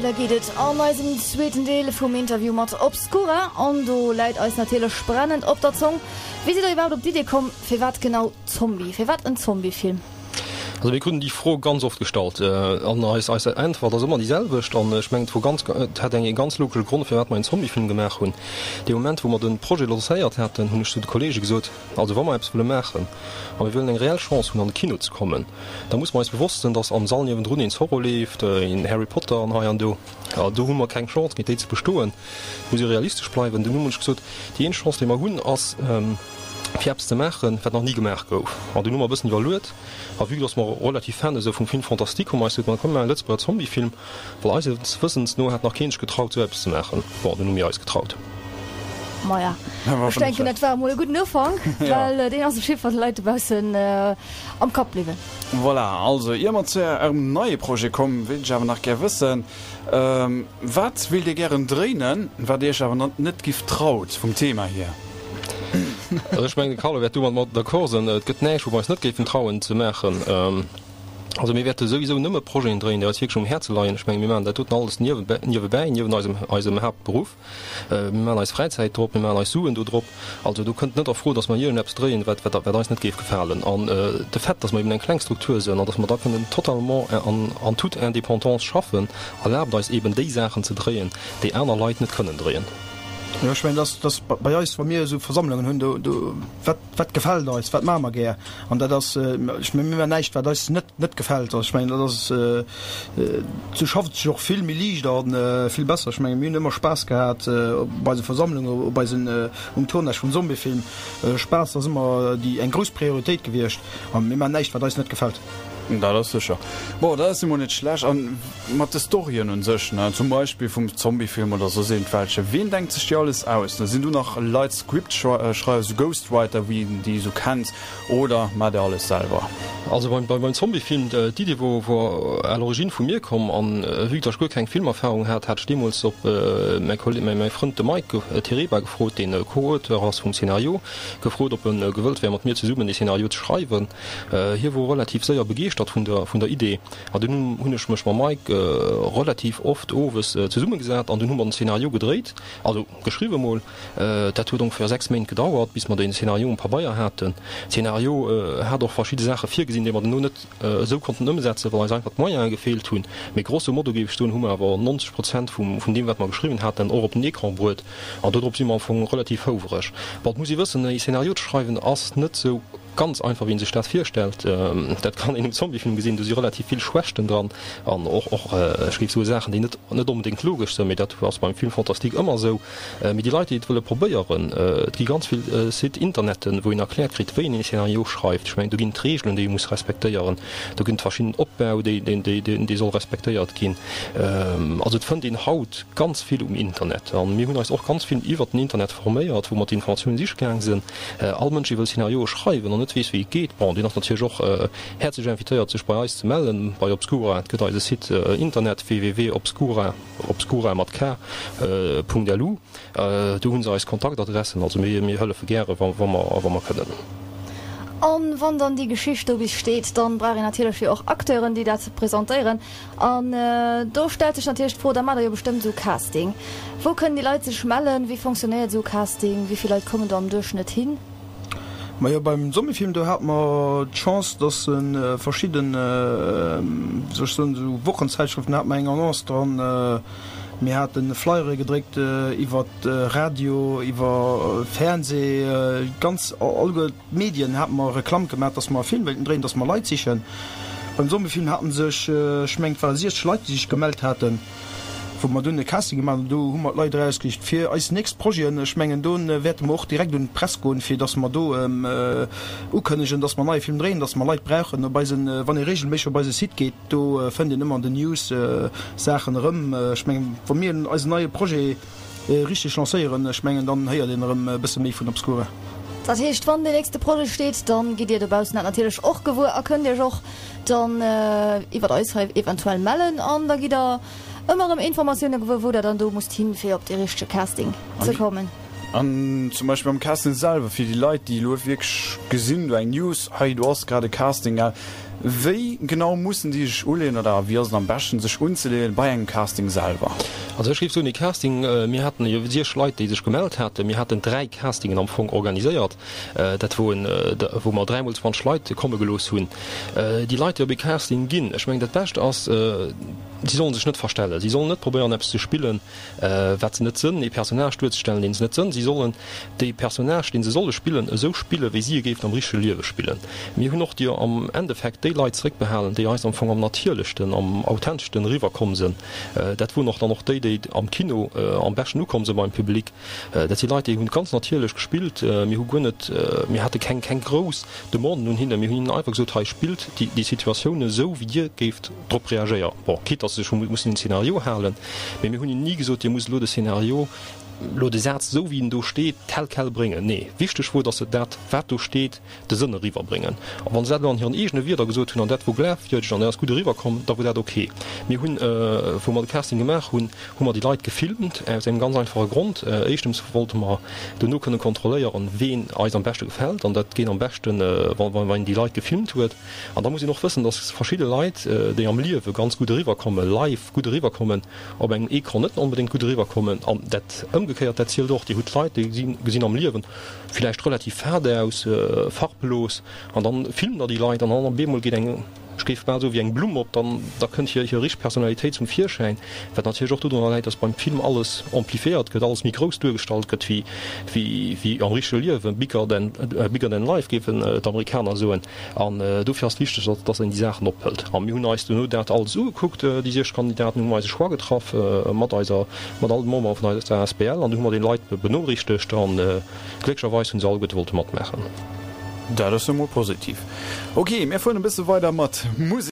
Weider geet et an eisem zweeten Deel vum Interview mat Obscura. An do läit eis natierlech brennend op der Zong, Wéi sidd der iwwerhaapt op d'Idee komm, firwat genau Zombie? Firwat en Zombiefilm? Also mir kruten déi Fro ganz oft gestallt an eis eis Äntwert ass ëmmer déi selwecht an ech mengen et wor ganz et hat eng ee ganz logesche Grond firwat mer een Zombiefilm gemaach hunn. Dee Moment wou mer de Projet lancéiert haten, hunn ech zu de Kollege gesot, also wa mer eppes wëlle maachen a mir wëllen eng reell Chance hunn an de Kino ze kommen, da musse mer eis bewosst sinn, datt am Sall niewendrun een Zorro leeft, een Harry Potter an hei an do. A do hu mer keng Chance géint déi ze bestoen. Et muss ee realistesch bleiwen. Dunn hunn ech gesot, déi eenzeg Chance déi mer hunn ass, fir eppes ze maachen, wat nach ni gemaach gouf. An dunn hu mer e bëssen iwwerluet, a vue dass mer relativ Fan esou vum Film fantastique, hu mer eis gesot, ma komm mir maachen e Lëtzebuerger Zombiefilm, well eises Wëssens no hat nach keen sech getraut esou eppes ze maachen. Bon, dunn hu mir eis getraut. Maja, ech denken, dat war emol e gudden Ufank, well deen ass op jiddwer Fall de Leit dobaussen am Kapp bliwwen. Voilà, also ier mer zu Ärem neie Projet kommen, wéilt ech awer nach gär wëssen, Wat wéilt Dir gären dréinen, wat Dir Iech awer net giff traut vum Thema hier? Also ech mengen, de Carlo wäert do mat mer d'accord sinn, et gëtt näischt, wou mer eis net géifen trauen ze maachen. Also mir wäerte souwisou nëmme Projeten dréinen, déi eis wierklech um Häerze leien. Ech menge mir maachen dat doten alles niewebäi, niewent eisem eisem Haaptberuff. Mir maachen eis Fräizäit drop, mir maachen eis Suen do drop. Also do kënnt net a Fro, datt mer iergendeppes dréien, wat wat wat eis net géif gefalen. An de Fait, datt mer eben eng kleng Struktur sinn an datt mer da kënnen totalement an en toute indépendance schaffen, erlaabt eis eben déi Saachen ze dréien, déi aner Leit net kënnen dréien. Jo, ech mengen, dass, dass bei eis, wa mir esou Versammlungen hunn, do, do, wat, wat gefält eis, wat maache mer gär? An dat ass, ech mengen, mir maachen näischt, wat eis net, net gefält. Also ech mengen, dat ass, esou schafft et sech och vill méi liicht a vill besser. Ech mengen, mir hunn ëmmer Spaass gehat op eise Versammlungen, op eisen, um Tournage vum Zombiefilm. Spaass ass ëmmer déi, eng grouss Prioritéit gewiescht a mir maachen näischt, wat eis net gefält. Dat ass sécher. Bon, dat ass emol net schlecht. An mat de Storyen un sech, ne, zum Beispill vum Zombiefilm oder soss iergendwelche, wien denkt sech déi alles aus? Ne, sinn do nach Leit Scriptschreiwer, sou Ghostwriter, wéi een déi sou kennt, oder maacht der alles selwer? Also beim beim Zombiefilm, d'Idee wor wor à l'origine vu mir komm, an vue que ech guer keng Filmerfahrung hat, hat ech deemools op mäi Kolleg, mäi Frënd de Mike Tereba gefrot, deen Co-Auteur ass vum Scénario, gefrot ob en gewëllt wär mat mir zesummen dee Scénario ze schreiwen. Hie wor relativ séier begeeschtert vun der vun der Idee an dunn hunn ech mech mam Mike relativ oft owes zesummegesat an dunn hu mer den Szenario gedréit, also geschriwwe mol. Dat huet ongeféier 6 Méint gedauert bis mer den Szenario um Pabeier haten. Szenario hat och verschidde Saache virgesinn, déi mer duerno net esou konnten ëmsetzen, well eis einfach d'Moyene gefeelt hunn. Mee grosso modo géif ech soen, hu mer awer 90 Prozent vum vun deem wat mer geschriwwen haten och op den Ecran bruet an dodrop si mer am Fong relativ houwereg. Bon, et muss ee wëssen, e Szenario ze schreiwen ass net esou Ganz einfach wéi een sech dat virstellt. Dat kann een um Zombiefilm gesinn, do si relativ vill Schwächten dran an och och ech géif soe Saachen déi net net onbedéngt logesch sënn, mee dat ass beim Film fantastique ëmmer esou. Mee déi Leit déi et wëlle probéieren, et gi ganz vill Site Interneten wou een erkläert kritt wéi een een Scénario schreift. Ech mengen do ginn et Reegelen déi ee muss respektéieren, do ginn et verschidden Opbau déi deen déi dee soll respektéiert ginn. Also et fënnt een haut ganz vill um Internet an mir hunn eis och ganz vill iwwert den Internet forméiert wou mer d'Informatiounen siche gaang sënn. All Mënsch, dee wëll Szenarioe schreiwen an net weess, wéi et geet, bon, deen ass natierlech och häerzlech invitéiert, sech bei eis ze mellen, bei Obskura. Et gëtt eise Site Internet, www.obskura, obskura mat k, Punkt lu. Do hu se eis Kontaktadressen. Also mir, mir hëllefe gäre, wa, wa mer, wa mer kënnen. An wann dann déi Geschicht do bis steet, dann brauch een natierlech jo och Acteuren, déi dat presentéieren. An do stellt sech natierlech d'Fro, da maacht der jo bestëmmt esou Casting. Wou kënnen déi Leit sech mellen? Wéi fonctionnéiert esou Casting? Wéi vill Leit kommen do am Duerchschnëtt hin? Majo, beim Zombiefilm do hate mer d'Chance, dass verschidden, wéi soll ech soen, esou Wochenzäitschrëften hate mer eng Annonce dran. Mir hate Flyere gedréckt iwwer Radio, iwwer Fernseh, ganz alleguer. D'Medien hate mer Reklamm gemaach, dass mer e Film wéilten dréien, dass mer Leit sichen. Beim Zombiefilm haten sech, ech mengen et ware 60 Leit, déi sech gemellt haten, wou mer dunn e Casting gemaach hunn. Do hu mer d'Leit erausgesicht fir eis nächst Projeten. Ech mengen do wäerte mer och direkt un d'Press goen, fir dass mer do ukënnegen, dass mer en neie Film dréien, dass mer Leit brauchen. Op eisen, wann ee regelméisseg op eise Site geet, do fënnt een ëmmer an den News Saachen erëm. Ech mengen, wa mir eisen neie Projet Richteg lancéieren, ech mengen dann héiert een erëm e bësse méi vun Obscura. Dat heescht, wann deen nächste Projet steet, dann gitt dir dobaussen dat natierlech och gewuer a kënnt iech och dann iwwert eis hei eventuell mellen an da gitt der ëmmer erëm Informatioune gewuer, wou der dann do musst hin, fir op dee richtege Casting ze kommen. An zum Beispill beim Casting selwer, fir déi Leit, déi elo wierklech gesinn, do eng News, hei do ass grad e Casting, gell. Wéi genau mussen déi sech uleeën oder wéi ass et am beschten sech unzeleeën bei engem Casting selwer? Also ech géif soen, ee Casting, mir haten jo siech Leit déi sech gemellt haten, mir haten 3 Castingen am Fong organiséiert, dat woen wou mer 3 mol 20 Leit komme gelooss hunn. Déi Leit déi op ee Casting ginn, ech mengen dat Bescht ass, si sollen sech net verstellen, si sollen net probéieren eppes ze spillen, wat se net sënn, ee Personnage duerzestellen, deen se net sënn. Si sollen dee Personnage, deen se solle spillen, esou spillen, wéi si e géifen am richtege Liewe spillen. Mir hunn och déi am Endeffekt déi Leit zeréckbehalen, déi eis am Fong am natierlechsten, am authenteschsten eriwwerkomm sënn. Dat woren och dann och déi, déi am Kino am beschten ukomm sënn beim Public. Dat si Leit, déi hunn ganz natierlech gespillt. Mir hu guer net, mir hate keng, keng grouss Demanden un hinnen. Mir hunn hinnen einfach gesot, hei spillt déi, déi Situatioun esou, wéi dir géift drop reagéieren. Bon, quitte dass se sech hu mussen un den Szenario halen, mee mir hunn hinnen ni gesot, dir musst elo de Szenario, elo de Saz esou wéi en do steet, tel quel bréngen. Nee, wichteg wor, dass se dat, wat do steet, de Sënn eriwwerbréngen. A wa se dat elo an hiren eegene Wierder gesot hunn an dat wor glafwierdeg an dat ass gutt eriwwerkomm, da wor dat ok. Mir hunn, wou mer de Casting gemaach hunn, hu mer déi Leit gefilmt, aus engem ganz einfache Grond, Éischtens wollte mer dono kënne kontrolléieren, ween eis am beschte gefält, an dat geet am beschten, wa een déi Leit gefilmt huet. An da muss een och wëssen, dass verschidde Leit, déi am Liewe ganz gutt eriwwerkommen, live gutt eriwwerkommen, op engem Ecran net onbedéngt gutt eriwwerkommen. An dat ëmgekéiert, dat zielt och. Dir hutt Leit, déi gesinn am Liewen villäicht relativ fad aus, farblos, an dann filmt der déi Leit an dann op eemol geet eng, ech géif bal soen, wéi eng Blumm op, dann da kënnt hir hir richteg Personalitéit zum Virschäin, wat natierlech och dodrunner läit, dass beim Film alles amplifiéiert gëtt, alles méi grouss duergestallt gëtt wéi wéi wéi am richtege Liewen, bigger than bigger than life géifen d'Amerikaner soen. An dofir ass et wichteg, dass dass een déi Saachen ophëlt. A mir hunn eis duerno dat alles ugekuckt, déi 6 Kandidaten, hu mer eise Choix getraff mat eiser mat all de Membere vun eiser asbl an du hu mer déi Leit benoriichtegt an glécklecherweis hunn se alleguerte wollte matmaachen. Dat ass jo mol positiv. Ok, mir fueren e bësse weider mat Musek.